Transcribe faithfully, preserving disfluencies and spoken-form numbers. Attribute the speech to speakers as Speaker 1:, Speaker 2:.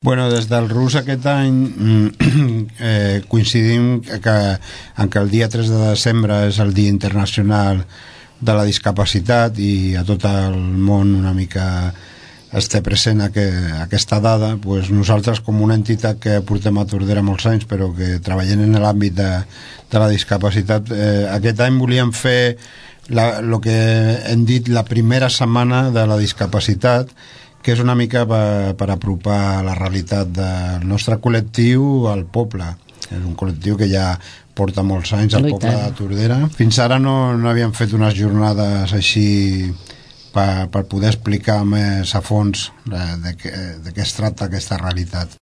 Speaker 1: Bueno, des del R U S aquest any eh, coincidim que, en que el dia tres de desembre és el Dia Internacional de la Discapacitat i a tot el món una mica es té present que, aquesta dada. Pues nosaltres, com una entitat que portem a Tordera molts anys però que treballem en l'àmbit de, de la discapacitat, eh, aquest any volíem fer el que hem dit la primera setmana de la discapacitat, que és una mica per, per apropar la realitat del nostre col·lectiu al poble. És un col·lectiu que ja porta molts anys al poble de Tordera. Fins ara no, no havíem fet unes jornades així per, per poder explicar més a fons de, de, de què es tracta aquesta realitat.